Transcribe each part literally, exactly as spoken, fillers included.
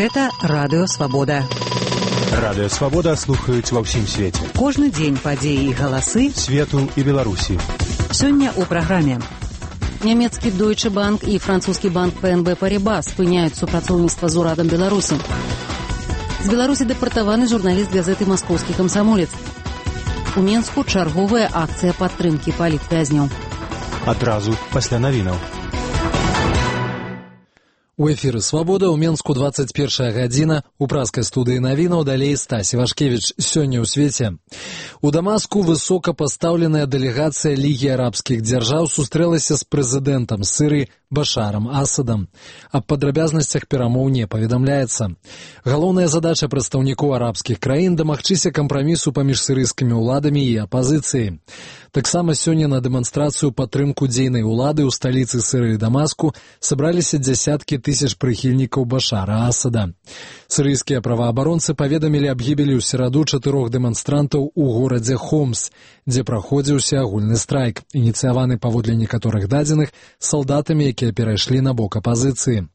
Гэта Радыё Свабода. Радыё Свабода слухаюць ва ўсім свеце. Кожны дзень падзеі і галасы свету і Беларусі. Сёння ў праграме. Нямецкі Deutsche Bank і французскі банк пэ эн бэ Парибас спыняюць супрацоўніцтва з урадам Беларусі. З Беларусі дэпартаваны журналіст газеты «Маскоўскі камсамолец». У Менску чарговая акцыя падтрымкі палітвязняў. Адразу пасля навінаў. У эфіры «Свабода» ў Менску двадцать першая гадзіна. У праскай студыі навінаў далей Стась Івашкевіч. Сёння ў свеце. У Дамаску высокапастаўленая дэлегацыя Лігі арабскіх дзяржаў сустрэлася з прэзідэнтам Сірыі Башарам Асадам. Аб падрабязнасцях перамоў не паведамляецца. Галоўная задача прадстаўнікоў арабскіх краін дамагчыся кампрамісу паміж сірыйскімі ўладамі і апазіцыяй. Таксама сёння на дэманстрацыю падтрымку дзейнай улады ў сталіцы Сірыі Дамаску сабраліся дзясяткі тысяч прыхільнікаў Башара Асада. Сірыйскія праваабаронцы паведамілі аб гібелі ў сераду чатырох дэманстрантаў у горадзе Хомс, дзе праходзіўся агульны страйк, ініцыяваны паводле некаторых дадзеных салдатамі, якія перайшлі на бок апазіцыі.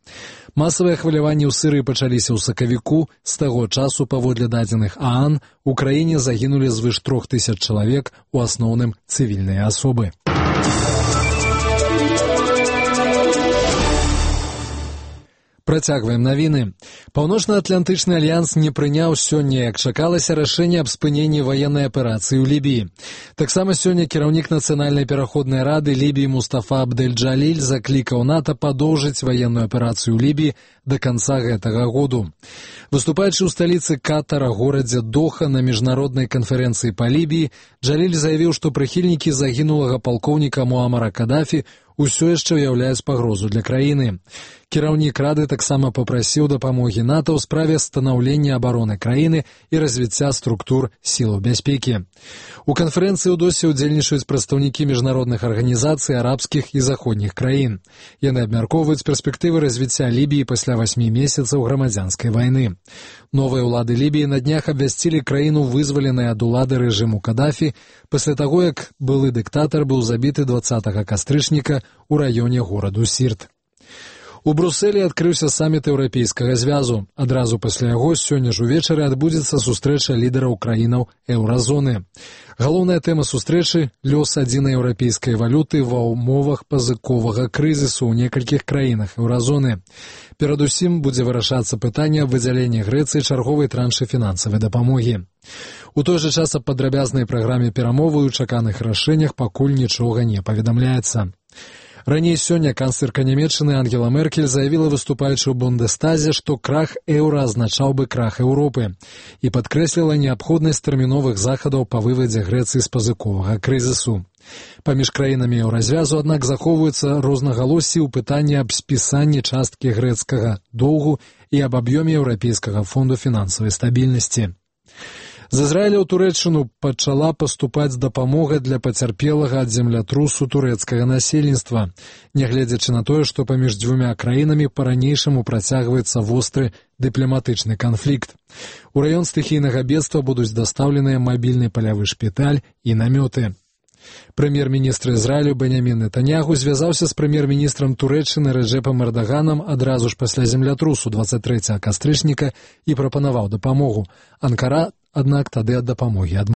Масавыя хваляванні ў Сірыі пачаліся ў сакавіку. З таго часу, паводле дадзеных ААН, у краіне загінулі звыш трох тысяч чалавек, у асноўным цывільныя асобы. Працягваем навіны. Паўночна-атлантычны альянс не прыняў сёння, як чакалася, рашэнне аб спыненні ваеннай аперацыі ў Лібіі. Таксама сёння кіраўнік Нацыянальнай пераходнай рады Лібіі Мустафа Абдэль-Джаліль заклікаў НАТО падоўжыць ваенную аперацыю ў Лібіі да канца гэтага году. Выступаючы ў сталіцы Катара, горадзе Доха, на міжнароднай канферэнцыі па Лібіі, Джаліль заявіў, што прыхільнікі загінулага палкоўніка Муамара Кадафі усё яшчэ ўяўляюць пагрозу для краіны. Кіраўнік рады таксама папрасіў дапамогі НАТО ў справе станаўлення абароны краіны і развіцця структур сілаў бяспекі. У канферэнцыі ў досе ўдзельнічаюць прадстаўнікі міжнародных арганізацый арабскіх і заходніх краін. Яны абмяркоўваюць перспектывы развіцця Лібіі пасля васьмі месяцаў грамадзянскай вайны. Новыя ўлады Лібіі на днях абвясцілі краіну вызваленай ад улады рэжыму Кадафі пасля таго, як былы дыктатар быў забіты дваццатага кастрычніка у раёне гораду Сірт. У Брусэлі адкрыўся саміт Еўрапейскага звязу. Адразу пасля яго сёння ж увечары адбудзецца сустрэча лідараў краінаў еўразоны. Галоўная тэма сустрэчы – лёс адзінай еўрапейскай валюты ва ўмовах пазыковага крызісу ў некалькіх краінах еўразоны. Перадусім будзе вырашацца пытанне аб выдзяленні Грэцыі чарговай траншы фінансавай дапамогі. У той жа час аб падрабязнай праграме перамовы і чаканых рашэннях пакуль нічога не паведамляецца. Раней сёння канцлерка Нямецчыны Ангела Меркель заявіла, выступаючы ў Бундестазе, што крах еўра азначаў бы крах Еўропы і падкрэсліла неабходнасць тэрміновых захадаў па вывадзе Грэцыі з пазыковага крызісу. Паміж краінамі еўразвязу, аднак, захоўваюцца рознагалоссі ў пытанні аб спісанні часткі грэцкага доўгу і аб аб'ёме Еўрапейскага фонду фінансавай стабільнасці. З Ізраіля ў Турэччыну пачала паступаць дапамога для пацярпелага ад землятрусу турэцкага насельніцтва, нягледзячы на тое, што паміж дзвюмя краінамі па-ранейшаму працягваецца востры дыпламатычны канфлікт. У раён стыхійнага бедства будуць дастаўленыя мабільны палявы шпіталь і намёты. Прэм'ер-міністр Ізраілю Бенямін Нетаньяху звязаўся з прэм'ер-міністрам Турэччыны Рэджэпам Эрдаганам адразу ж пасля землятрусу дваццаць трэцяга кастрычніка і прапанаваў дапамогу. Анкара, аднак, тады ад дапамогі адмовілася.